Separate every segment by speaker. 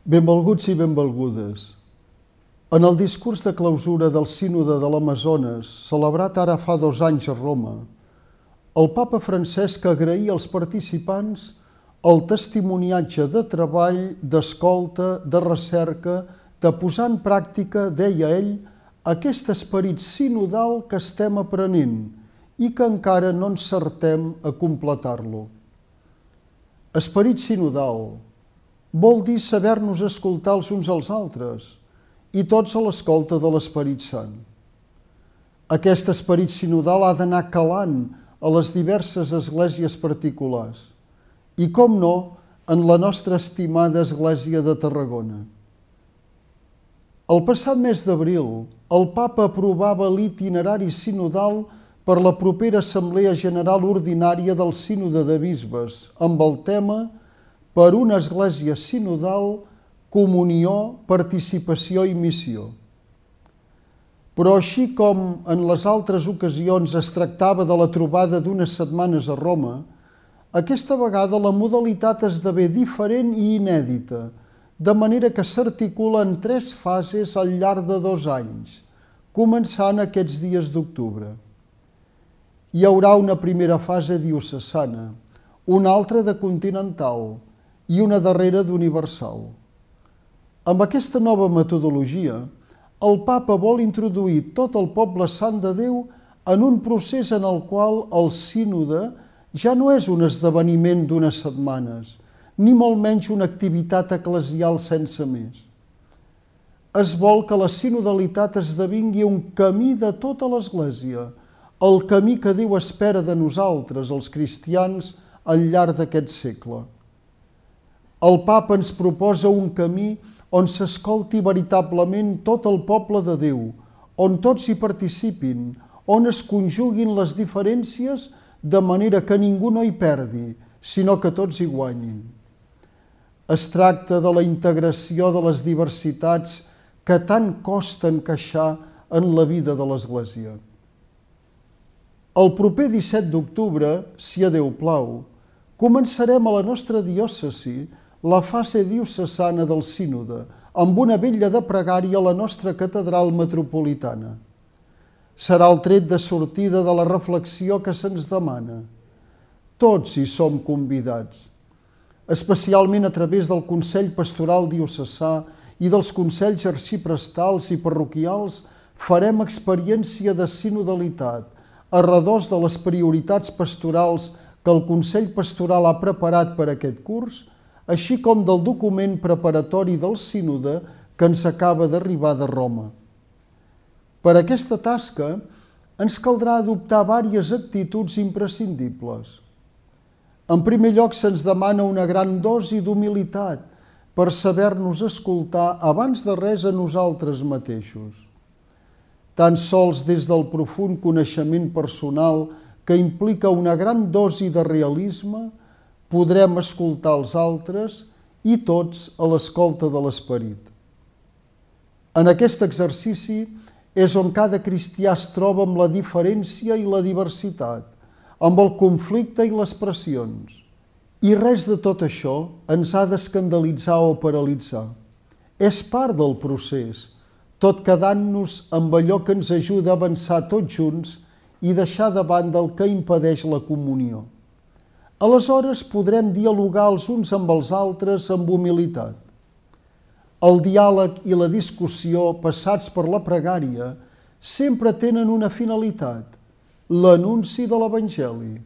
Speaker 1: Benvolguts i benvolgudes. En el discurs de clausura del Sínode de l'Amazones, celebrat ara fa 2 anys a Roma, el papa Francesc agraïa als participants el testimoniatge de treball, d'escolta, de recerca, de posar en pràctica, deia ell, aquest esperit sinodal que estem aprenent i que encara no encertem a completar-lo. Esperit sinodal vol dir saber-nos escoltar els uns als altres i tots a l'escolta de l'Esperit Sant. Aquest esperit sinodal ha d'anar calant a les diverses esglésies particulars i, com no, en la nostra estimada Església de Tarragona. El passat mes d'abril, el Papa aprovava l'itinerari sinodal per la propera Assemblea General Ordinària del Sínode de Bisbes, amb el tema per una església sinodal, comunió, participació i missió. Però així com en les altres ocasions es tractava de la trobada d'unes setmanes a Roma, aquesta vegada la modalitat esdevé diferent i inèdita, de manera que s'articula en 3 fases al llarg de 2 anys, començant aquests dies d'octubre. Hi haurà una primera fase diocesana, una altra de continental i una darrera d'universal. Amb aquesta nova metodologia, el Papa vol introduir tot el poble sant de Déu en un procés en el qual el sínode ja no és un esdeveniment d'unes setmanes, ni molt menys una activitat eclesial sense més. Es vol que la sinodalitat esdevingui un camí de tota l'Església, el camí que Déu espera de nosaltres, els cristians, al llarg d'aquest segle. El Papa ens proposa un camí on s'escolti veritablement tot el poble de Déu, on tots hi participin, on es conjuguin les diferències de manera que ningú no hi perdi, sinó que tots hi guanyin. Es tracta de la integració de les diversitats que tant costa encaixar en la vida de l'Església. El proper 17 d'octubre, si a Déu plau, començarem a la nostra diòcesi la fase diocesana del sínode, amb una vetlla de pregària a la nostra catedral metropolitana. Serà el tret de sortida de la reflexió que se'ns demana. Tots hi som convidats, especialment a través del Consell Pastoral Diocesà i dels Consells Arxiprestals i Parroquials, farem experiència de sinodalitat arredors de les prioritats pastorals que el Consell Pastoral ha preparat per aquest curs, així com del document preparatori del sínode que ens acaba d'arribar de Roma. Per aquesta tasca ens caldrà adoptar diverses actituds imprescindibles. En primer lloc, se'ns demana una gran dosi d'humilitat per saber-nos escoltar abans de res a nosaltres mateixos. Tan sols des del profund coneixement personal que implica una gran dosi de realisme, podrem escoltar els altres i tots a l'escolta de l'Esperit. En aquest exercici és on cada cristià es troba amb la diferència i la diversitat, amb el conflicte i les pressions. I res de tot això ens ha d'escandalitzar o paralitzar. És part del procés, tot quedant-nos amb allò que ens ajuda a avançar tots junts i deixar de banda el que impedeix la comunió. Aleshores podrem dialogar els uns amb els altres amb humilitat. El diàleg i la discussió passats per la pregària sempre tenen una finalitat, l'anunci de l'Evangeli,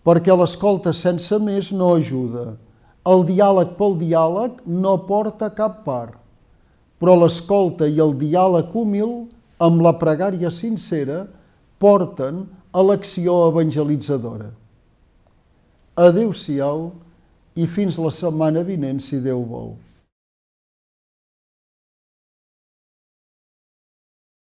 Speaker 1: perquè l'escolta sense més no ajuda. El diàleg pel diàleg no porta a cap part, però l'escolta i el diàleg humil, amb la pregària sincera, porten a l'acció evangelitzadora. Adéu-siau i fins la setmana vinent, si Déu vol.